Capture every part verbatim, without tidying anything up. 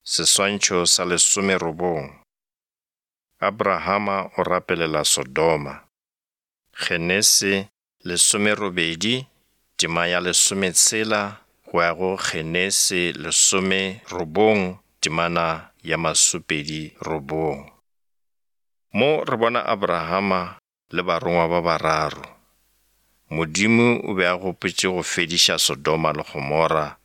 Seswantšho sa lesomerobong. Abrahama o rapelela Sodoma. Genesi lesomerobedi tema ya lesometshela go ya go Genesi lesomerobong temana ya masopedi robong. Mo re bona Abrahama le barongwa ba bararo. Modimo o be a gopotše go fediša Sodoma le Gomora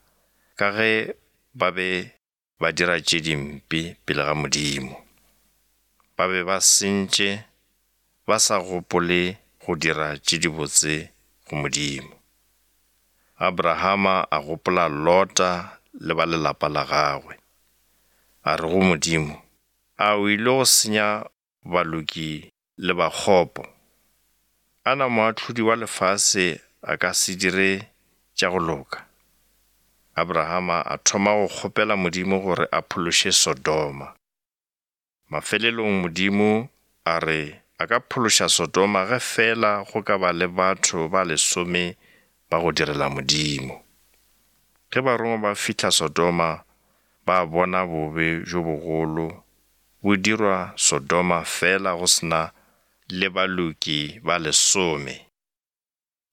ka ge ba be ba dira tše dimpe pele ga Modimo. Ba be ba sentše ba sa gopole go dira tše dibotse go Modimo. Abrahama a gopola Lota le ba lelapa la gagwe. A re go Modimo, a o ile go senya baloki le bakgopo? Ana moahlodi wa lefase a ka se dire tša go loka? Abrahama a thoma go kgopela Modimo gore a phološe Sodoma. Mafelelong Modimo a re a ka phološa Sodoma ge fela go ka ba le batho ba lesome ba go direla Modimo. Ge barongwa ba fihla Sodoma, ba bona bobe bjo bogolo bo dirwa Sodoma fela go se na le baloki ba lesome.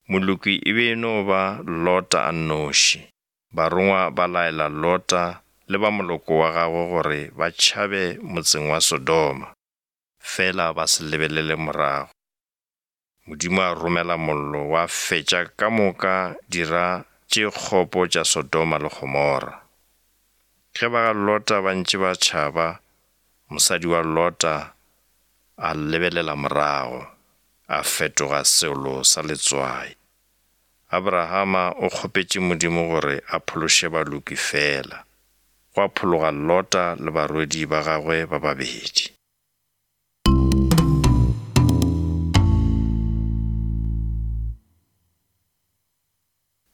Moloki e be e no ba Lota a nnoši. Barongwa ba laela Lota le ba moloko wa gagwe gore ba tšhabe motseng wa Sodoma, fela ba se lebelele morago. Modimo a romela mollo wa fetša ka moka dira tše kgopo tša Sodoma le Gomora. Ge ba ga Lota ba ntše ba tšhaba, mosadi wa Lota a lebelela morago, a fetoga seolo sa letswai. Abrahama o kgopetše Modimo gore a phološe baloki fela, gwa phologa Lota le barwedi ba gagwe ba babedi.